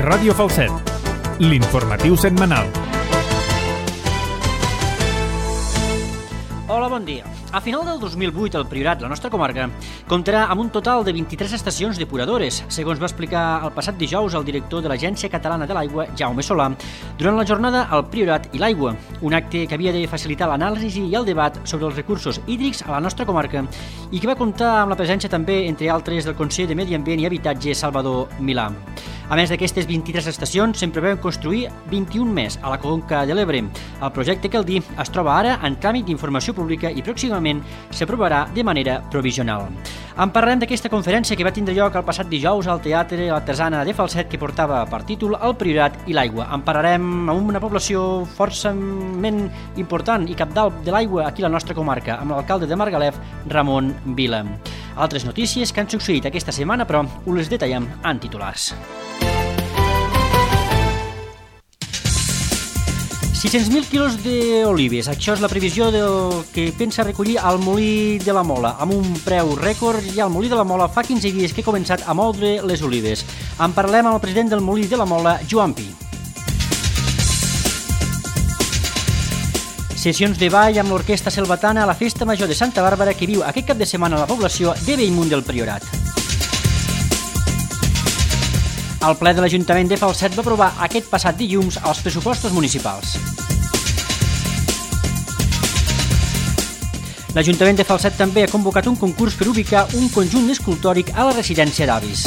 Ràdio Falset, l'informatiu setmanal. Hola, bon dia. A final del 2008, el Priorat, la nostra comarca, comptarà amb un total de 23 estacions depuradores, segons va explicar el passat dijous el director de l'Agència Catalana de l'Aigua, Jaume Solà, durant la jornada al Priorat i l'Aigua, un acte que havia de facilitar l'anàlisi i el debat sobre els recursos hídrics a la nostra comarca i que va comptar amb la presència també, entre altres, del conseller de Medi Ambient i Habitatge, Salvador Milà. A més d'aquestes 23 estacions, se'n preveuen construir 21 més a la Conca de l'Ebre. El projecte, cal dir, es troba ara en tràmit d'informació pública i pròximament s'aprovarà de manera provisional. En parlarem d'aquesta conferència que va tindre lloc el passat dijous al Teatre Artesana de Falset, que portava per títol El Priorat i l'Aigua. En parlarem amb una població forçament important i cabdal de l'aigua aquí a la nostra comarca, amb l'alcalde de Margalef, Ramon Vila. Altres notícies que han succeït aquesta setmana, però, us les detallem en titulars. 600.000 quilos d'olives, això és la previsió del que pensa recollir al Molí de la Mola, amb un preu rècord. Ja el Molí de la Mola fa 15 dies que ha començat a moldre les olives. En parlem amb el president del Molí de la Mola, Joan Pi. Sessions de ball amb l'Orquestra Selvatana a la Festa Major de Santa Bàrbara que viu aquest cap de setmana a la població de Bellmunt del Priorat. El ple de l'Ajuntament de Falset va aprovar aquest passat dilluns els pressupostos municipals. L'Ajuntament de Falset també ha convocat un concurs per ubicar un conjunt escultòric a la residència d'avis.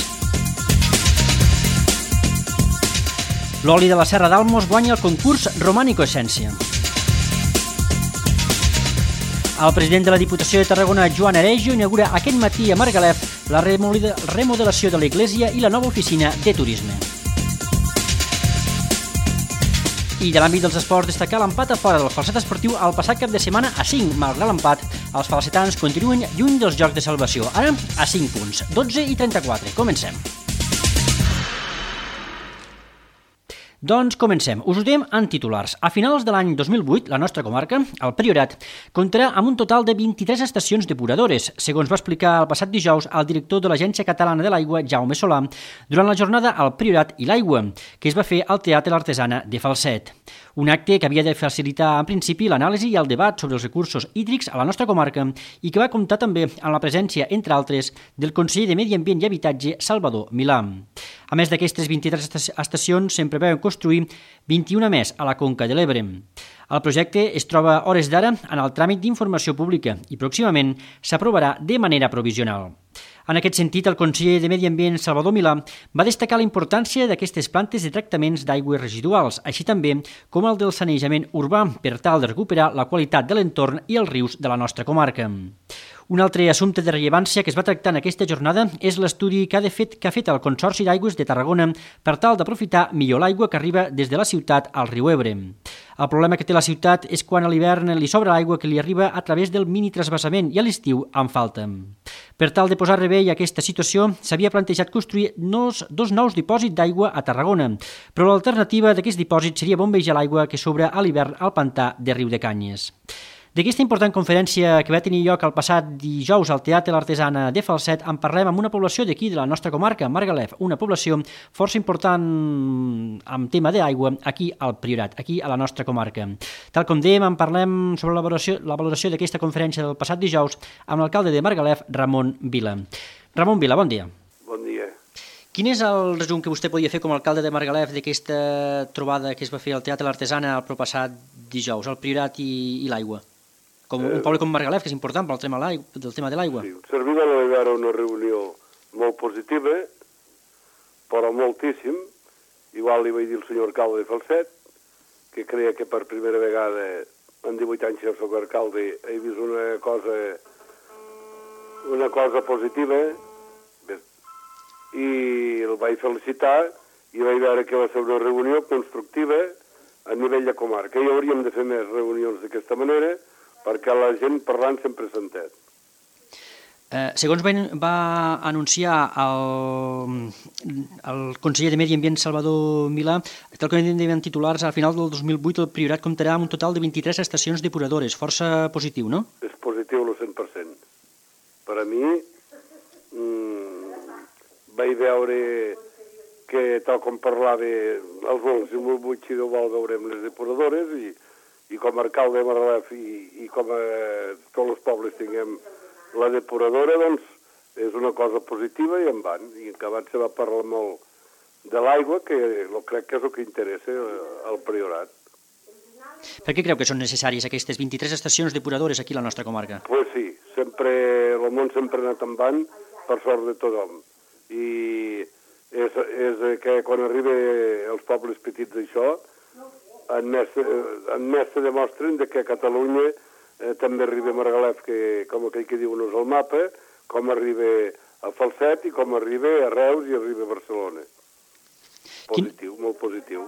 L'oli de la Serra d'Almos guanya el concurs Romànico Essència. El president de la Diputació de Tarragona, Joan Arejo, inaugura aquest matí a Margalef la remodelació de l'església i la nova oficina de turisme. I de l'àmbit dels esports, destacar l'empat a fora del Falset Esportiu el passat cap de setmana a 5. Malgrat l'empat, els falsetans continuen lluny dels jocs de salvació, ara a 5 punts, 12 i 34. Comencem. Doncs comencem. Us ho diem en titulars. A finals de l'any 2008, la nostra comarca, el Priorat, comptarà amb un total de 23 estacions depuradores, segons va explicar el passat dijous el director de l'Agència Catalana de l'Aigua, Jaume Solà, durant la jornada al Priorat i l'Aigua, que es va fer al Teatre Artesana de Falset. Un acte que havia de facilitar, en principi, l'anàlisi i el debat sobre els recursos hídrics a la nostra comarca i que va comptar també amb la presència, entre altres, del conseller de Medi Ambient i Habitatge, Salvador Milà. A més d'aquestes 23 estacions, se'n preveuen construir 21 més a la Conca de l'Ebre. El projecte es troba a hores d'ara en el tràmit d'informació pública i pròximament s'aprovarà de manera provisional. En aquest sentit, el conseller de Medi Ambient, Salvador Milà, va destacar la importància d'aquestes plantes de tractaments d'aigües residuals, així també com el del sanejament urbà, per tal de recuperar la qualitat de l'entorn i els rius de la nostra comarca. Un altre assumpte de rellevància que es va tractar en aquesta jornada és l'estudi que ha fet el Consorci d'Aigües de Tarragona per tal d'aprofitar millor l'aigua que arriba des de la ciutat al riu Ebre. El problema que té la ciutat és quan a l'hivern li sobra l'aigua que li arriba a través del mini transvasament i a l'estiu en falta. Per tal de posar remei a aquesta situació, s'havia plantejat construir dos nous dipòsits d'aigua a Tarragona, però l'alternativa d'aquest dipòsit seria bombejar l'aigua que sobra a l'hivern al pantà de Riu de Canyes. D'aquesta important conferència que va tenir lloc el passat dijous al Teatre Artesana de Falset en parlem amb una població d'aquí de la nostra comarca, Margalef, una població força important amb tema d'aigua aquí al Priorat, aquí a la nostra comarca. Tal com dèiem, en parlem sobre la valoració d'aquesta conferència del passat dijous amb l'alcalde de Margalef, Ramon Vila. Ramon Vila, bon dia. Bon dia. Quin és el resum que vostè podia fer com a alcalde de Margalef d'aquesta trobada que es va fer al Teatre Artesana el proppassat dijous, el Priorat i l'aigua? Com un poble com Margalef, que és important pel tema de l'aigua. Sí, serviva era una reunió molt positiva, però moltíssim. Igual li vaig dir al senyor alcalde de Falset, que creia que per primera vegada en 18 anys que soc alcalde he vist una cosa positiva, i el vaig felicitar i vaig veure que va ser una reunió constructiva a nivell de comarca. I hauríem de fer més reunions d'aquesta manera, perquè la gent parlant sempre s'entén. Segons va anunciar el conseller de Medi Ambient, Salvador Milà, tal com deien titulars, al final del 2008 el Priorat comptarà amb un total de 23 estacions depuradores. Força positiu, no? És positiu al 100%. Per a mi vaig veure que tal com parlava els 2008, si Déu vol, veurem les depuradores i com a alcalde de Margalef i com a tots els pobles tinguem la depuradora, doncs és una cosa positiva i en van. I acabat se va parlar molt de l'aigua, que crec que és el que interessa al Priorat. Per què creu que són necessàries aquestes 23 estacions depuradores aquí a la nostra comarca? Pues sí, el món sempre ha anat en van per sort de tothom. I és que quan arriba als pobles petits això, en més se demostren que a Catalunya també arriba a Margalef, que com aquell que diuen és el mapa, com arriba a Falset i com arriba a Reus i arriba a Barcelona. Positiu, molt positiu.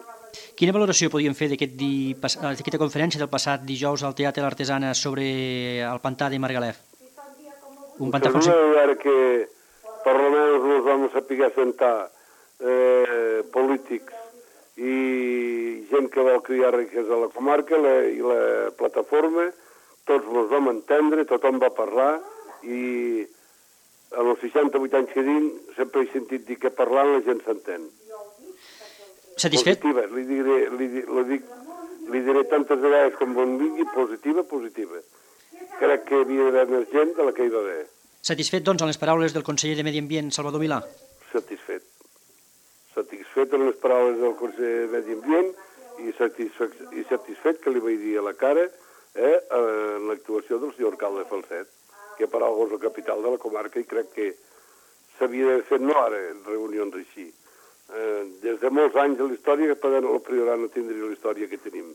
Quina valoració podíem fer d'aquesta conferència del passat dijous al Teatre L'Artesana sobre el pantà de Margalef? Un pantà Ara que per almenys ens vam saber sentar polítics i gent que vol criar riquesa a la comarca i la plataforma, tots ens vam entendre, tothom va parlar i en els 68 anys que tinc sempre he sentit dir que parlant la gent s'entén. Satisfet? Positiva, li diré tantes vegades com bon vingui, positiva. Crec que hi havia d'haver més gent de la que hi va haver. Satisfet, doncs, amb les paraules del conseller de Medi Ambient, Salvador Milà? Satisfet amb les paraules del conseller de Medi Ambient i satisfet que li vaig dir a la cara en l'actuació del senyor alcalde de Falset, que per alguna cosa és la capital de la comarca i crec que s'havia d'haver fet no ara reunions així. Des de molts anys de la història que el Priorat no tindria la història que tenim.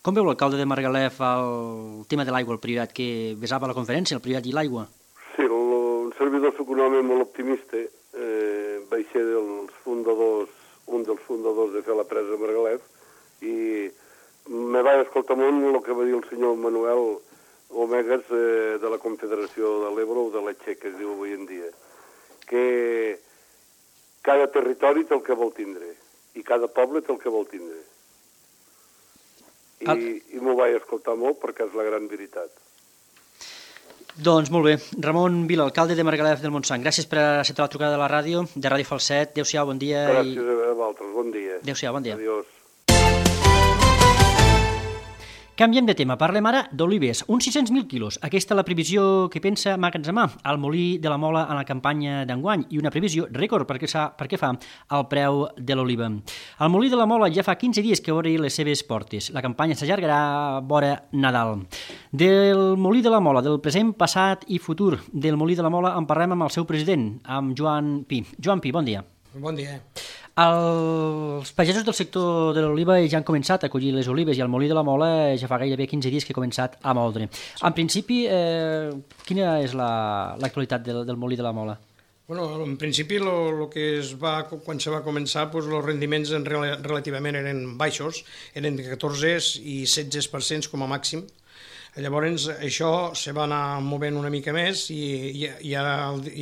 Com veu l'alcalde de Margalef el tema de l'aigua, el Priorat, que besava la conferència, el Priorat i l'aigua? Sí, un servidor soc un home molt optimista. Vaig ser un dels fundadors de fer la presa de Margalef i me vaig escoltar molt el que va dir el senyor Manuel Omegas de la Confederació de l'Ebre o de la Txec, que es diu avui en dia, que cada territori té el que vol tindre i cada poble té el que vol tindre. I m'ho vaig escoltar molt perquè és la gran veritat. Doncs molt bé. Ramon Vila, alcalde de Margalef del Montsant, gràcies per acceptar la trucada de la ràdio, de Ràdio Falset. Adéu-siau, bon dia. Gràcies a vosaltres, bon dia. Adéu-siau, bon dia. Adiós. Canviem de tema, parlem ara d'olives, uns 600.000 quilos. Aquesta és la previsió que pensa emmagatzemar al Molí de la Mola en la campanya d'enguany i una previsió rècord perquè fa el preu de l'oliva. El Molí de la Mola ja fa 15 dies que obre les seves portes. La campanya s'allargarà vora Nadal. Del Molí de la Mola, del present, passat i futur del Molí de la Mola en parlem amb el seu president, amb Joan Pi. Joan Pi, bon dia. Bon dia. Els pagesos del sector de l'oliva ja han començat a collir les olives i el Molí de la Mola ja fa gairebé 15 dies que ha començat a moldre. En principi, quina és l'actualitat del Molí de la Mola? Bueno, en principi, quan se va començar, els rendiments relativament eren baixos, eren de 14 i 16% com a màxim. Llavors, això se va anar movent una mica més i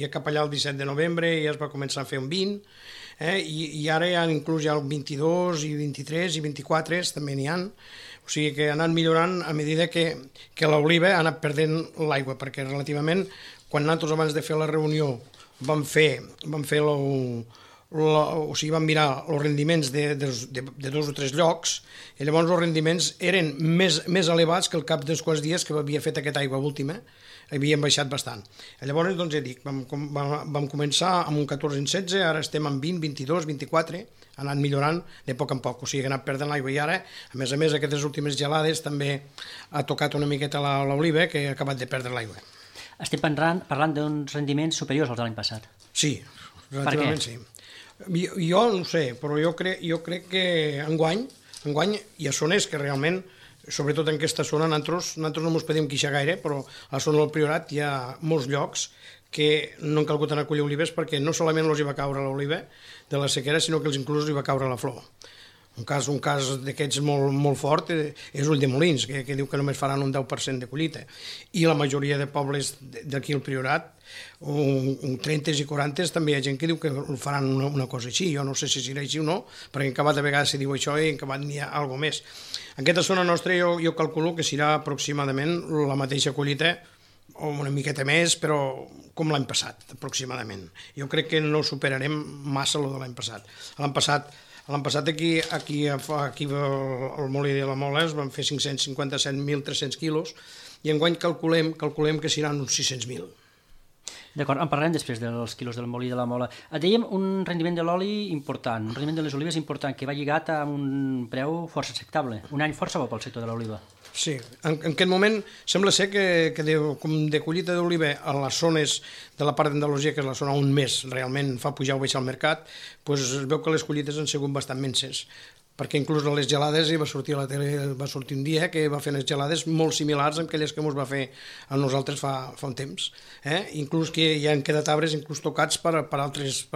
cap allà el 17 de novembre ja es va començar a fer un 20%, i ara ja inclús ja el 22 i 23 i 24 també n'hi ha. O sigui que ha anat millorant a mesura que l'oliva ha anat perdent l'aigua, perquè relativament, quan nosaltres abans de fer la reunió vam mirar els rendiments de 2 o 3 llocs, i llavors els rendiments eren més elevats que al cap dels quals dies que havia fet aquesta aigua última, havien baixat bastant. Llavors, doncs ja dic, vam començar amb un 14 en 16, ara estem en 20, 22, 24, ha anat millorant de poc en poc, o sigui que ha anat perdent l'aigua i ara, a més, aquestes últimes gelades també ha tocat una miqueta l'oliva que ha acabat de perdre l'aigua. Estem parlant d'uns rendiments superiors als de l'any passat. Sí, relativament sí. Jo no ho sé, però jo crec que enguany hi ha zones que realment, sobretot en aquesta zona, nosaltres no ens podem queixar gaire, però a la zona del Priorat hi ha molts llocs que no han calgut anar a collir olives perquè no solament els hi va caure l'oliva de la sequera, sinó que inclús els hi va caure la flor. Un cas d'aquests molt fort és Ulldemolins, que diu que només faran un 10% de collita. I la majoria de pobles d'aquí al Priorat, un 30 i 40, també hi ha gent que diu que faran una cosa així. Jo no sé si serà així o no, perquè en acabat de vegades se diu això i en acabat n'hi ha alguna més. En aquesta zona nostra jo calculo que serà aproximadament la mateixa collita o una miqueta més, però com l'any passat, aproximadament. Jo crec que no superarem massa el de l'any passat. L'any passat aquí al Molí de la Mola es van fer 557.300 quilos i enguany calculem que seran uns 600.000. D'acord, en parlarem després dels quilos del Molí de la Mola. Dèiem un rendiment de l'oli important, un rendiment de les olives important, que va lligat a un preu força acceptable. Un any força bo pel sector de l'oliva. Sí, en aquest moment sembla ser que com de collita d'oliva a les zones de la part d'Andalusia, que és la zona on més realment fa pujar o baixar el mercat, doncs es veu que les collites han sigut bastant minses, perquè inclús a les gelades va sortir a la tele, va sortir un dia que va fer unes gelades molt similars a aquelles que ens va fer a nosaltres fa un temps. Inclús que ja han quedat arbres inclús tocats per altres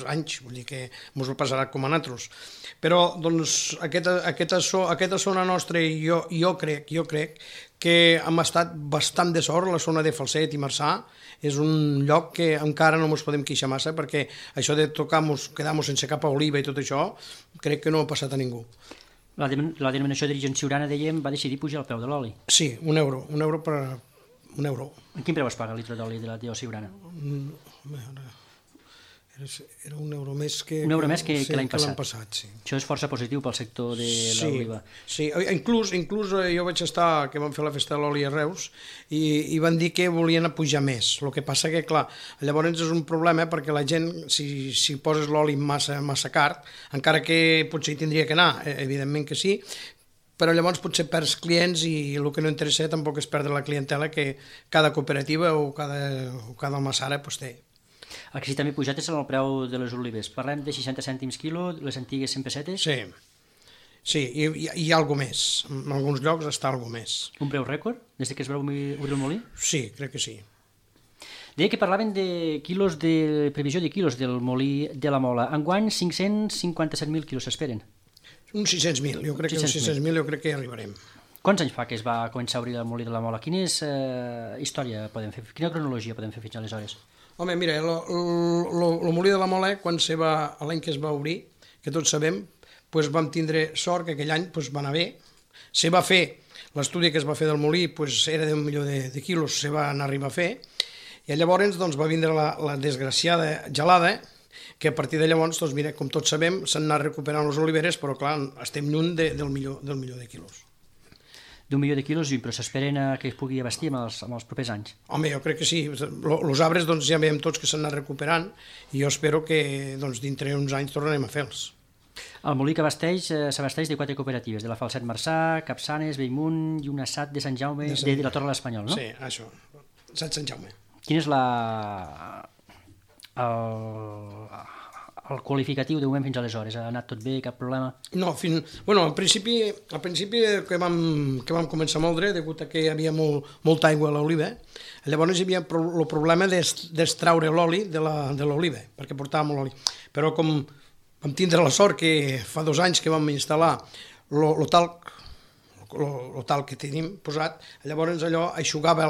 anys, vull dir que ens ho passarà com a nosaltres. Però doncs, aquesta zona nostra, jo crec que hem estat bastant de sort, la zona de Falset i Marçà és un lloc que encara no ens podem queixar massa, perquè això de quedar-nos sense cap oliva i tot això, crec que no ha passat a ningú. La denominació d'origen siurana, dèiem, va decidir pujar el preu de l'oli. Sí, un euro per un euro. En quin preu es paga el litre d'oli de la siurana? Era un euro més que l'any passat. Sí. Això és força positiu pel sector de l'oliva. Sí, inclús jo vaig estar, que vam fer la festa de l'oli a Reus, i van dir que volien pujar més. El que passa que, clar, llavors és un problema perquè la gent, si poses l'oli massa car, encara que potser hi tindria que anar, evidentment que sí, però llavors potser perds clients i el que no interessa tampoc és perdre la clientela que cada cooperativa o cada almassara té. El que sí també pujat és el preu de les olives. Parlem de 60 cèntims quilo, les antigues 100 pessetes? Sí, i hi ha alguna més. En alguns llocs està alguna més. Un preu rècord, des que es va obrir el molí? Sí, crec que sí. Deia que parlaven de quilos, de previsió de quilos del molí de la Mola. Enguany, 557.000 quilos s'esperen. Uns 600.000, jo crec que uns 600.000 jo crec que hi arribarem. Quants anys fa que es va començar a obrir el molí de la Mola? Quina història podem fer? Quina cronologia podem fer fins aleshores? Home, mira, el molí de la Mola, l'any que es va obrir, que tots sabem, vam tindre sort que aquell any va anar bé. Se va fer, l'estudi que es va fer del molí era d'un milió de quilos, se va arribar a fer, i llavors va vindre la desgraciada gelada, que a partir de llavors, mira, com tots sabem, s'han anat recuperant les oliveres, però clar, estem lluny del milió de quilos. D'un milió de quilos, però s'esperen que es pugui abastir en els propers anys. Home, jo crec que sí. Els arbres ja veiem tots que s'han anat recuperant i jo espero que dintre uns anys tornarem a fer-los. El molí que s'abasteix de 4 cooperatives, de la Falset Marçà, Capçanes, Bellmunt i una SAT de Sant Jaume, de la Torre de l'Espanyol, no? Sí, això, SAT Sant Jaume. Quin és el qualificatiu de moment fins aleshores? Ha anat tot bé, cap problema? No, al principi que vam començar a moldre, degut a que hi havia molta aigua a l'oliva, llavors hi havia el problema d'extraure l'oli de l'oliva, perquè portàvem l'oli. Però com vam tindre la sort que fa 2 anys que vam instal·lar el talc que tenim posat, llavors allò aixugava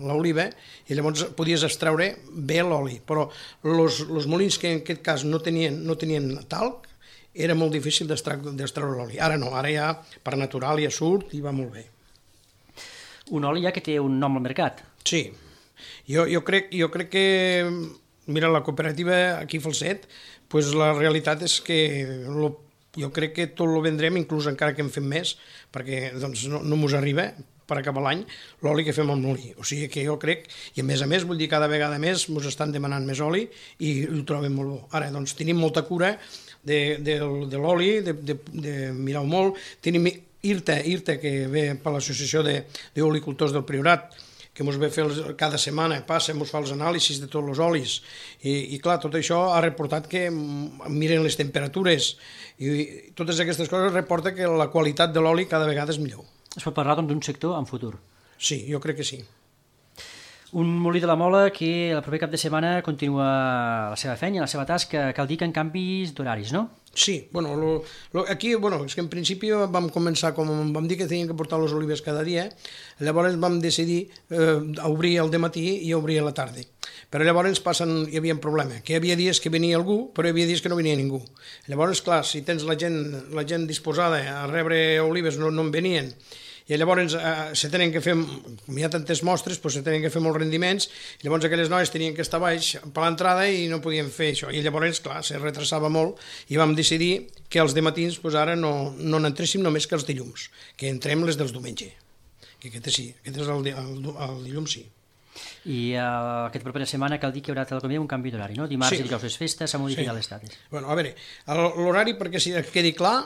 l'oliva i llavors podies extreure bé l'oli, però els molins que en aquest cas no tenien talc era molt difícil d'extreure l'oli. Ara no, ara ja per natural ja surt i va molt bé. Un oli ja que té un nom al mercat. Sí, jo crec que, mira, la cooperativa aquí a Falset, la realitat és que jo crec que tot ho vendrem, inclús encara que en fem més, perquè no mos arriba per acabar l'any l'oli que fem al molí. O sigui que jo crec, i a més, vull dir, cada vegada més mos estan demanant més oli i ho trobem molt bo. Ara, tenim molta cura de l'oli, de mirar-ho molt. Tenim IRTA, que ve per l'Associació d'Olicultors del Priorat, que ens ve fer cada setmana, ens fa els anàlisis de tots els olis, i clar, tot això ha reportat que miren les temperatures, i totes aquestes coses reporten que la qualitat de l'oli cada vegada és millor. Es pot parlar d'un sector en futur? Sí, jo crec que sí. Un molí de la Mola que el proper cap de setmana continua la seva feina, la seva tasca, cal dir que en canvis d'horaris, no? Sí, aquí, és que en principi vam començar, com vam dir que teníem que portar les olives cada dia, llavors vam decidir obrir al matí i obrir a la tarda. Però llavors hi havia un problema, que hi havia dies que venia algú, però hi havia dies que no venia ningú. Llavors, clar, si tens la gent disposada a rebre olives, no en venien, i llavors se tenen que fer, com hi ha tantes mostres, se tenen que fer molts rendiments, i llavors aquelles noies tenien que estar baix per l'entrada i no podien fer això, i llavors, clar, se retrasava molt, i vam decidir que els dematins ara no n'entréssim només que els dilluns, que entrem les dels diumenge, que aquest sí, aquest és el dilluns sí. I aquesta propera setmana cal dir que hi haurà un canvi d'horari, no? Dimarts i dijous les festes, s'ha modificat les dates. Bueno, a veure, l'horari, perquè si quedi clar,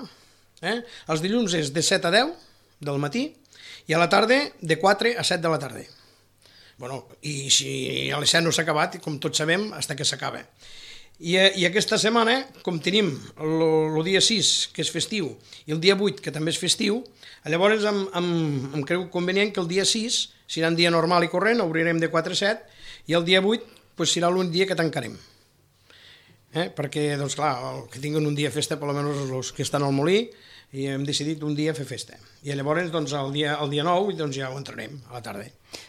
els dilluns és de 7 a 10 del matí i a la tarda de 4 a 7 de la tarda. Bueno, i si a les 7 no s'ha acabat, com tots sabem, fins que s'acaba. I aquesta setmana, com tenim el dia 6, que és festiu, i el dia 8, que també és festiu, llavors em creu convenient que el dia 6 serà un dia normal i corrent, obrirem de 4 a 7, i el dia 8 serà l'únic dia que tancarem. Perquè, doncs clar, que tinguin un dia festa, per almenys els que estan al molí, i hem decidit un dia fer festa. I llavors, doncs, el dia 9, doncs ja ho entrarem, a la tarda.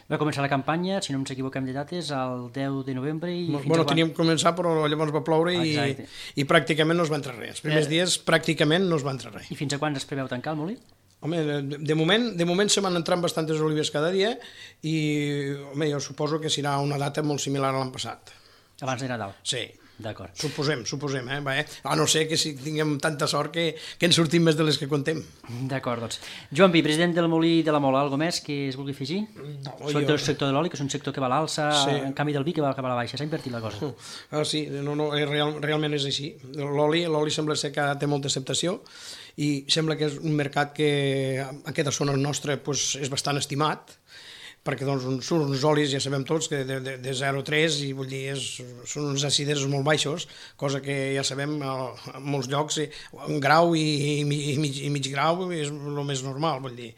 Va començar la campanya, si no ens equivoquem de dates, el 10 de novembre i fins bueno, teníem que començar, però llavors va ploure i pràcticament no es va entrar res. Els primers dies pràcticament no es va entrar res. I fins a quan es preveu tancar el molí? Home, de moment se van entrant bastantes olives cada dia i, home, jo suposo que serà una data molt similar a l'any passat. Abans de Nadal? Sí. D'acord. Suposem, a no ser que si tinguem tanta sort que en sortim més de les que contem. D'acord, doncs. Joan Pi, president del Molí de la Mola, alguna més que es vulgui afegir? No, sobretot el sector de l'oli, que és un sector que va a l'alça, en canvi del vi que va cap a la baixa, s'ha invertit la cosa. Sí, realment és així. L'oli sembla ser que té molta acceptació i sembla que és un mercat que en aquesta zona nostra és bastant estimat, perquè doncs, són uns olis, ja sabem tots, que de 0,3 i vull dir, són uns acides molt baixos, cosa que ja sabem en molts llocs, un grau i mig grau és el més normal, vull dir.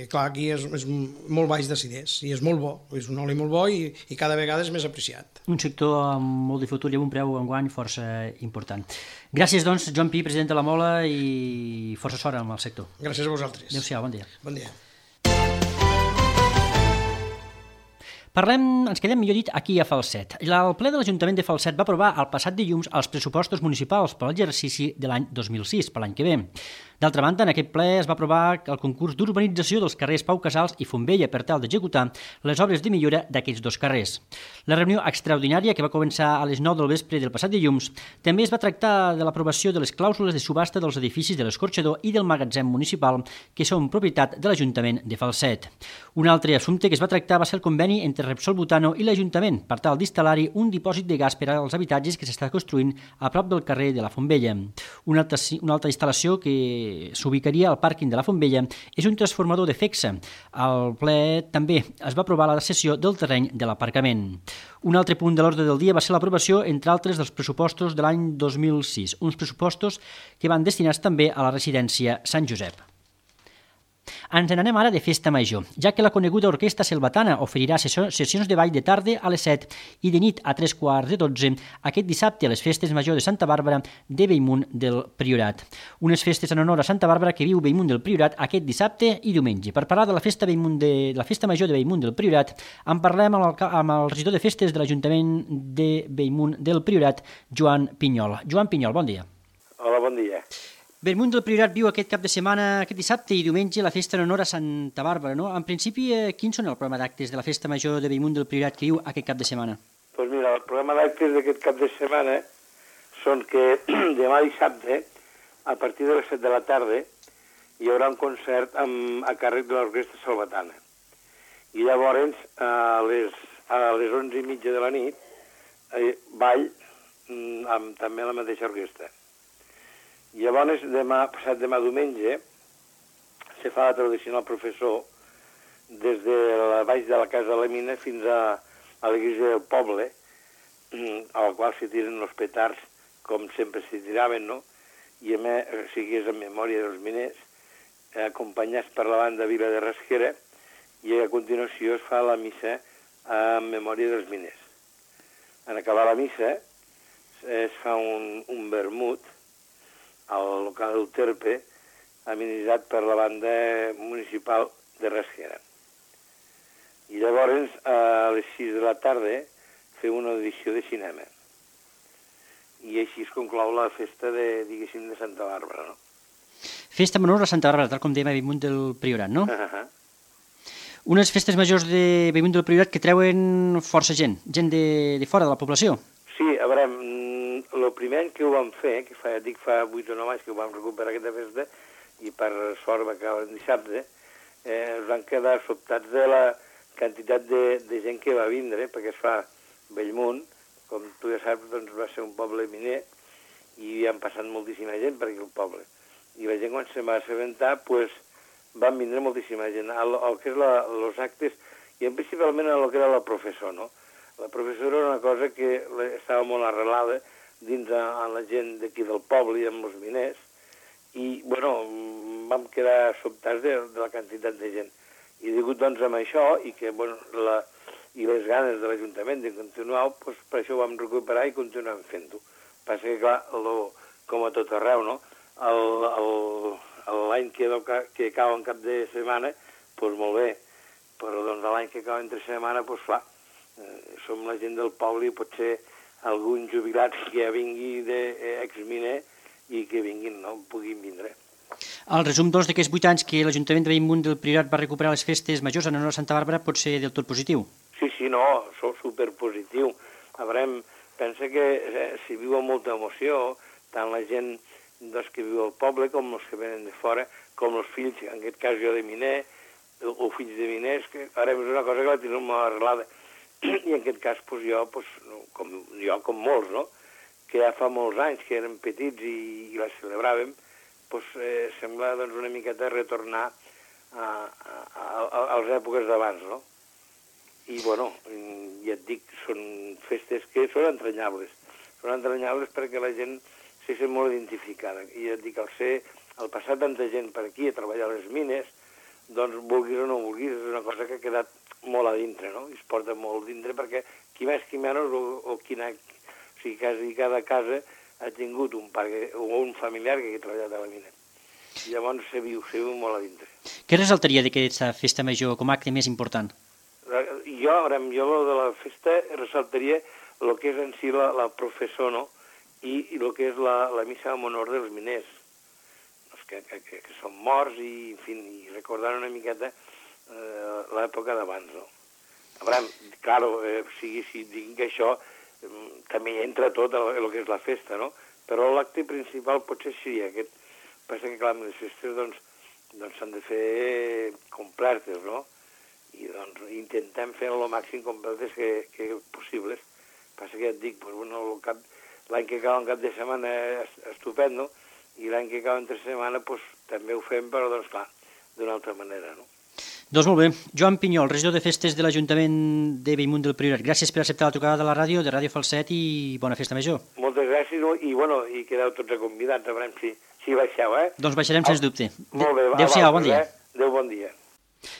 Clar, aquí és molt baix d'acidès i és molt bo, és un oli molt bo i cada vegada és més apreciat. Un sector amb molt de futur i amb un preu enguany força important. Gràcies, doncs, Joan Pi, president de la Mola, i força sort amb el sector. Gràcies a vosaltres. Adéu-siau, bon dia. Bon dia. Ens quedem, millor dit, aquí a Falset. El ple de l'Ajuntament de Falset va aprovar el passat dilluns els pressupostos municipals per a l'exercici de l'any 2006, per l'any que ve. D'altra banda, en aquest ple es va aprovar el concurs d'urbanització dels carrers Pau Casals i Fontvella per tal d'executar les obres de millora d'aquests dos carrers. La reunió extraordinària, que va començar a les 9 del vespre del passat dilluns, també es va tractar de l'aprovació de les clàusules de subhasta dels edificis de l'Escorxador i del magatzem municipal, que són propietat de l'Ajuntament de Falset. Un altre assumpte que es va tractar va ser el conveni entre Repsol Butano i l'Ajuntament per tal d'instal·lar-hi un dipòsit de gas per als habitatges que s'està construint a prop del carrer de la Fontvella. Una altra instal·lació que s'ubicaria al pàrquing de la Fontvella és un transformador de FEXA. Al ple també es va aprovar la cessió del terreny de l'aparcament. Un altre punt de l'ordre del dia va ser l'aprovació, entre altres, dels pressupostos de l'any 2006, uns pressupostos que van destinats també a la residència Sant Josep. Ens n'anem ara de festa major, ja que la coneguda Orquestra Selvatana oferirà sessions de ball de tarda a les 7 i de nit a 3:15 aquest dissabte a les festes major de Santa Bàrbara de Bellmunt del Priorat. Unes festes en honor a Santa Bàrbara que viu Bellmunt del Priorat aquest dissabte i diumenge. Per parlar de la festa major de Bellmunt del Priorat, en parlem amb el regidor de festes de l'Ajuntament de Bellmunt del Priorat, Joan Pinyol. Joan Pinyol, bon dia. Hola, bon dia. Bellmunt del Priorat viu aquest cap de setmana, aquest dissabte i diumenge, la festa en honor a Santa Bàrbara, no? En principi, quins són el programa d'actes de la festa major de Bellmunt del Priorat que viu aquest cap de setmana? Doncs mira, el programa d'actes d'aquest cap de setmana són que demà dissabte, a partir de les 7 de la tarda, hi haurà un concert a càrrec de l'Orquestra Selvatana. I llavors, a les 11:30 de la nit, ball amb també la mateixa orquestra. Llavors, passat demà diumenge, se fa la tradicional professó des de baix de la Casa de la Mina fins a l'església del poble, a la qual se tiren els petards, com sempre se tiraven, no? I a més, és en memòria dels miners, acompanyats per la banda Vila de Rasquera, i a continuació es fa la missa en memòria dels miners. En acabar la missa, es fa un vermut al local del Terpe, amenitzat per la banda municipal de Rasquera. I llavors, a les 6 de la tarda, fem una audició de cinema. I així es conclou la festa de Santa Bàrbara, no? Festa menor a Santa Bàrbara, tal com dèiem a Bellmunt del Priorat, no? Unes festes majors de Bellmunt del Priorat que treuen força gent de fora de la població. Sí, a veure, el primer any que ho vam fer, que fa 8 o 9 anys que ho vam recuperar aquesta festa, i per sort va acabar el dissabte, es van quedar sobtats de la quantitat de gent que va vindre, perquè es fa Bellmunt, com tu ja saps, doncs va ser un poble miner, i han passat moltíssima gent per aquí al poble. I la gent, quan se'n va assabentar, doncs van vindre moltíssima gent. El que és els actes, i principalment el que era la professó, no? La professó era una cosa que estava molt arrelada dins a la gent d'aquí del poble i amb els miners, i, bueno, vam quedar sobtats de la quantitat de gent. I degut, doncs, amb això, i que, bueno, i les ganes de l'Ajuntament de continuar, doncs, per això ho vam recuperar i continuem fent-ho. Passa que, clar, com a tot arreu, no? L'any que cau en cap de setmana, doncs molt bé, però doncs l'any que cau entre setmana, doncs clar, som la gent del poble i potser algun jubilat que ja vingui d'exminer i que vinguin, no? Puguin vindre. El resum, doncs, d'aquests 8 anys que l'Ajuntament de Bellmunt del Priorat va recuperar les festes majors en honor a Santa Bàrbara pot ser del tot positiu. Sí, no, sou superpositiu. A veure, pensa que s'hi viu amb molta emoció, tant la gent que viu al poble com els que venen de fora, com els fills, en aquest cas jo de miner, o fills de miners, que ara és una cosa que la tenim molt arrelada. I en aquest cas, com molts, no? Que ja fa molts anys que érem petits i la celebràvem, sembla una miqueta retornar a les èpoques d'abans, no? I, bueno, ja et dic, són festes que són entranyables. Són entranyables perquè la gent se sent molt identificada. I ja et dic, al passar tanta gent per aquí a treballar a les mines, doncs, vulguis o no vulguis, és una cosa que ha quedat molt a dintre, no? I es porta molt dintre perquè qui més qui menys o sigui, quasi cada casa ha tingut un pare o un familiar que ha treballat a la mina. I llavors se viu molt a dintre. Què ressaltaria d'aquesta festa major com a acte més important? Jo de la festa ressaltaria el que és en si la professó, no? I el que és la missa en honor dels miners, que són morts i, en fi, recordant una miqueta l'època d'abans, no? A veure, clar, si dic això, també entra tot el que és la festa, no? Però l'acte principal potser seria aquest. Passa que, clar, les festes, doncs s'han de fer completes, no? I, doncs, intentem fer el màxim completes que possibles. Passa que ja et dic, l'any que cau en cap de setmana és estupendo, i l'any que cau entre setmana, també ho fem, però, doncs, clar, d'una altra manera, no? Doncs molt bé. Joan Pinyol, regidor de festes de l'Ajuntament de Bellmunt del Priorat. Gràcies per acceptar la trucada de la ràdio, de Ràdio Falset, i bona festa major. Moltes gràcies, i quedeu tots convidats, a veure si baixeu, Doncs baixarem, sens dubte. Molt bé, adéu-siau, bon dia. Adéu, bon dia.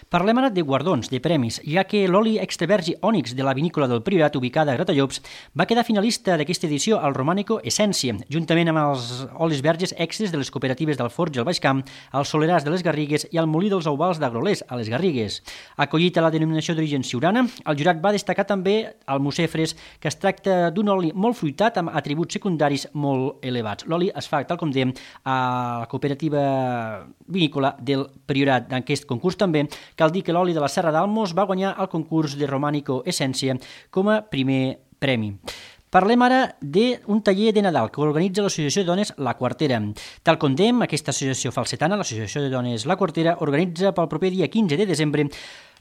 Parlem ara de guardons, de premis, ja que l'oli extra verge ònix de la vinícola del Priorat, ubicada a Gratallops, va quedar finalista d'aquesta edició al Romànico Essència, juntament amb els olis verges extres de les cooperatives d'Alforja al Baix Camp, al Soleràs de les Garrigues i al Molí dels Ovals d'Agrolers, a les Garrigues. Acollit a la denominació d'origen siurana, el jurat va destacar també el Mucefres, que es tracta d'un oli molt fruitat amb atributs secundaris molt elevats. L'oli es fa, tal com dèiem, a la cooperativa vinícola del Priorat. D'aquest concurs també cal dir que l'oli de la Serra d'Almos va guanyar el concurs de Romànico Essència com a primer premi. Parlem ara d'un taller de Nadal que organitza l'Associació de Dones La Quartera. Tal com dèiem, aquesta associació falsetana, l'Associació de Dones La Quartera, organitza pel proper dia 15 de desembre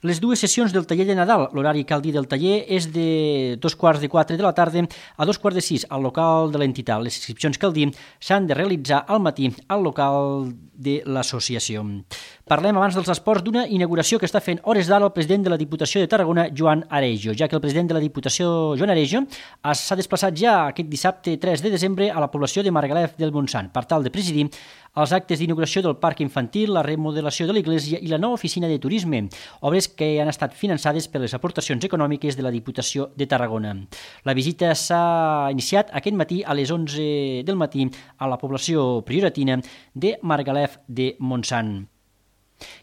les dues sessions del taller de Nadal. L'horari, cal dir, del taller és de 3:45 de la tarda a 5:45 al local de l'entitat. Les inscripcions, cal dir, s'han de realitzar al matí al local de l'associació. Parlem abans dels esports d'una inauguració que està fent hores d'ara el president de la Diputació de Tarragona, Joan Arejo, ja que el president de la Diputació, Joan Arejo, s'ha desplaçat ja aquest dissabte 3 de desembre a la població de Margalef del Montsant per tal de presidir els actes d'inauguració del parc infantil, la remodelació de l'església i la nova oficina de turisme, obres que han estat finançades per les aportacions econòmiques de la Diputació de Tarragona. La visita s'ha iniciat aquest matí a les 11 del matí a la població prioratina de Margalef de Montsant.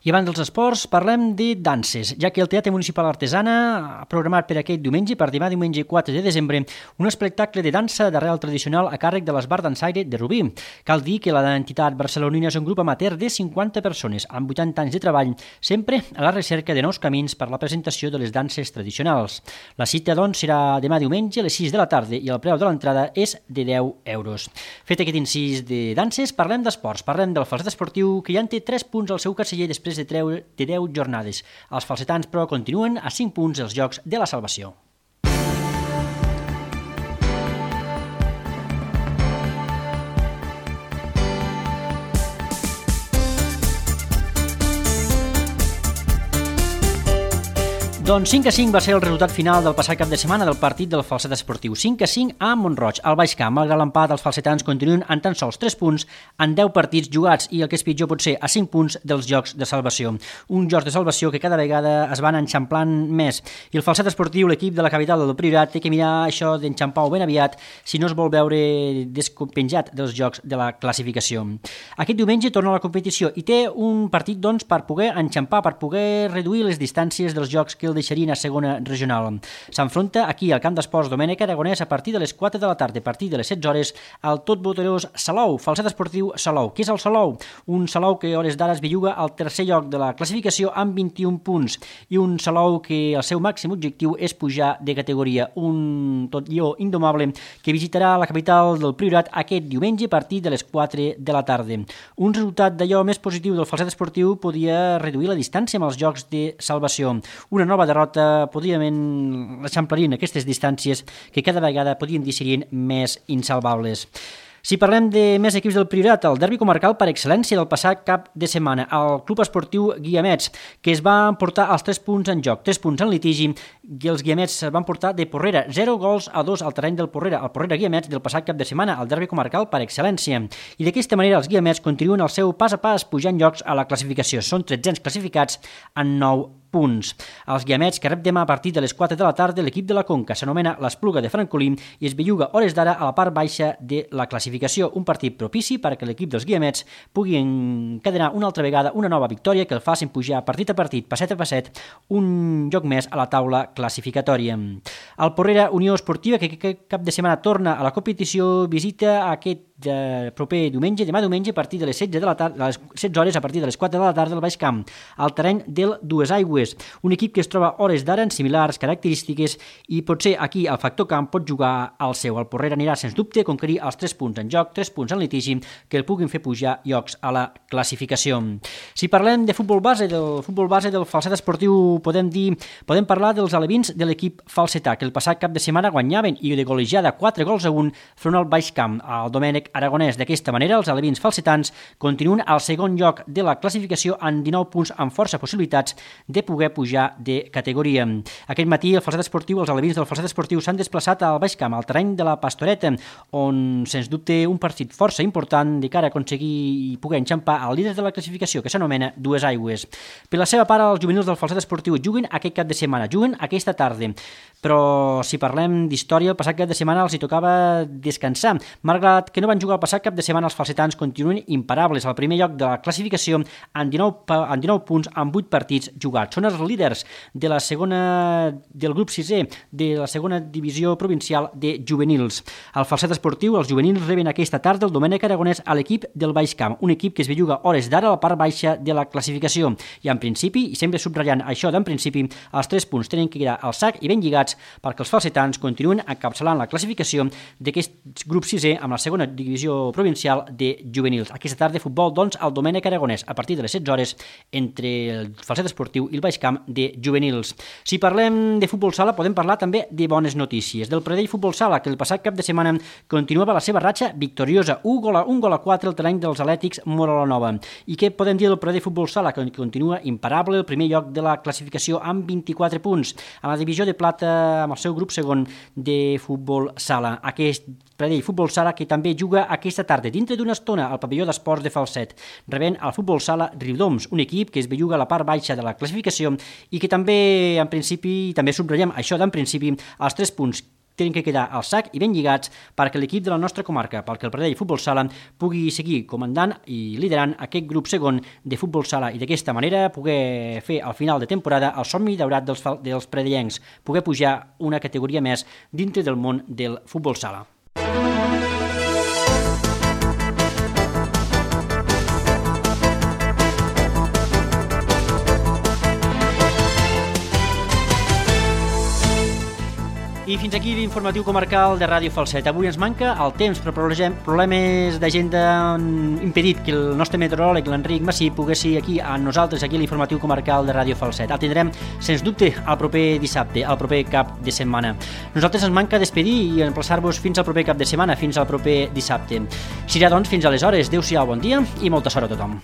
I abans dels esports parlem de danses, ja que el Teatre Municipal Artesana ha programat per aquest diumenge, per demà diumenge 4 de desembre, un espectacle de dansa d'arrel tradicional a càrrec de l'Esbar Dansaire de Rubí. Cal dir que l'entitat barcelonina és un grup amateur de 50 persones, amb 80 anys de treball, sempre a la recerca de nous camins per la presentació de les danses tradicionals. La cita, doncs, serà demà diumenge a les 6 de la tarda i el preu de l'entrada és de 10 euros. Fet aquest incís de danses, parlem d'esports, parlem del falset esportiu, que ja en té 3 punts al seu carceller després de 10 jornades. Els falsetans, però, continuen a 5 punts els Jocs de la Salvació. Doncs 5-5 va ser el resultat final del passat cap de setmana del partit del falset esportiu. 5-5 a Mont-roig. Al Baix Camp, malgrat l'empat, els falsetans continuen en tan sols 3 punts en 10 partits jugats i el que és pitjor pot ser a 5 punts dels Jocs de Salvació. Un Jocs de Salvació que cada vegada es van enxamplant més. I el falset esportiu, l'equip de la capital del Priorat, té que mirar això d'enxampar-ho ben aviat si no es vol veure despenjat dels Jocs de la classificació. Aquest diumenge torna a la competició i té un partit, doncs, per poder enxampar, per poder reduir les distàncies dels Jocs que el deixarien a segona regional. S'enfronta aquí al camp d'esports Domènec Aragonès a partir de les 4 de la tarda, a partir de les 16 hores, al tot boterós Salou, falset esportiu Salou. Què és el Salou? Un Salou que a hores d'ara es belluga al tercer lloc de la classificació amb 21 punts i un Salou que el seu màxim objectiu és pujar de categoria. Un tot lleó indomable que visitarà la capital del Priorat aquest diumenge a partir de les 4 de la tarda. Un resultat d'allò més positiu del falset esportiu podia reduir la distància amb els Jocs de Salvació. Una nova derrota podríem eixamplarien aquestes distàncies que cada vegada podien dir serien més insalvables. Si parlem de més equips del Priorat, el derbi comarcal per excel·lència del passat cap de setmana, el Club Esportiu Guiamets, que es va emportar els 3 punts en joc, 3 punts en litigi, i els Guiamets es van portar de Porrera, 0-2 al terreny del Porrera, el Porrera Guiamets del passat cap de setmana, el derbi comarcal per excel·lència. I d'aquesta manera els Guiamets continuen el seu pas a pas pujant llocs a la classificació. Són 13 classificats en 9 punts. Els Guiamets, que rep demà a partir de les 4 de la tarda, l'equip de la Conca s'anomena l'Espluga de Francolí i es belluga hores d'ara a la part baixa de la classificació. Un partit propici perquè l'equip dels Guiamets pugui encadenar una altra vegada una nova victòria que el facin pujar partit a partit, passet a passet, un lloc més a la taula classificatòria. El Porrera Unió Esportiva, que aquest cap de setmana torna a la competició, visita aquest proper diumenge, demà diumenge, a partir de les 16 de la tarda, a les 16 hores, a partir de les 4 de la tarda al Baix Camp, al terreny del Duesaigües, un equip que es troba hores d'ara en similars característiques i potser aquí el factor camp pot jugar al seu. El Porrera anirà sens dubte a conquerir els 3 punts en joc, 3 punts en litigi, que el puguin fer pujar llocs a la classificació. Si parlem de futbol base, del falset esportiu, podem parlar dels alevins de l'equip falsetà, que el passat cap de setmana guanyaven i de golejada 4-1 front al Baix Camp, al Domènec Aragonès. D'aquesta manera, els alevins falsetans continuen al segon lloc de la classificació amb 19 punts amb força possibilitats de poder pujar de categoria. Aquest matí, els alevins del falset esportiu s'han desplaçat al Baix Camp, al terreny de la Pastoreta, on, sens dubte, un partit força important de cara a aconseguir i poder enxampar el líder de la classificació, que s'anomena Duesaigües. Per la seva part, els juvenils del falset esportiu juguen aquest cap de setmana, juguen aquesta tarda, però si parlem d'història, el passat cap de setmana els hi tocava descansar. Malgrat que no van jugar el passat cap de setmana, els falsetans continuen imparables al primer lloc de la classificació amb 19 punts amb 8 partits jugats. Són els líders de la segona, del grup 6è de la segona divisió provincial de juvenils. Al falset esportiu, els juvenils reben aquesta tarda el Domènec Aragonès a l'equip del Baix Camp, un equip que es belluga hores d'ara a la part baixa de la classificació. I en principi, i sempre subratllant això d'en principi, els 3 punts tenen que quedar al sac i ben lligats perquè els falsetans continuen encapçalant la classificació d'aquest grup 6è amb la segona divisió provincial de juvenils. Aquesta tarda futbol, doncs, al Domènec Aragonès a partir de les 16 hores entre el falset esportiu i el Baix Camp de juvenils. Si parlem de futbol sala, podem parlar també de bones notícies. Del Pradell Futbol Sala, que el passat cap de setmana continuava la seva ratxa victoriosa, un gol a 4 al terreny dels Atlètics Morolanova. I què podem dir del Pradell Futbol Sala, que continua imparable el primer lloc de la classificació amb 24 punts, a la divisió de plata amb el seu grup segon de futbol sala. Aquest Pradell Futbol Sala que també juga aquesta tarda, dintre d'una estona, al pavelló d'esports de Falset, rebent el futbol sala Riudoms, un equip que es belluga a la part baixa de la classificació i que també, en principi, també subratllem això d'en principi, els 3 punts tenen que quedar al sac i ben lligats perquè l'equip de la nostra comarca, perquè el Pradell Futbol Sala pugui seguir comandant i liderant aquest grup segon de futbol sala i d'aquesta manera poder fer al final de temporada el somni daurat dels pradellencs, poder pujar una categoria més dintre del món del futbol sala. I fins aquí l'informatiu comarcal de Ràdio Falset. Avui ens manca el temps, però problemes d'agenda han impedit que el nostre meteoròleg, l'Enric Massí, pogués ser aquí amb nosaltres, aquí a l'informatiu comarcal de Ràdio Falset. El tindrem, sens dubte, el proper dissabte, el proper cap de setmana. Nosaltres ens manca despedir i emplaçar-vos fins al proper cap de setmana, fins al proper dissabte. Serà, doncs, fins aleshores. Adéu-siau, bon dia i molta sort a tothom.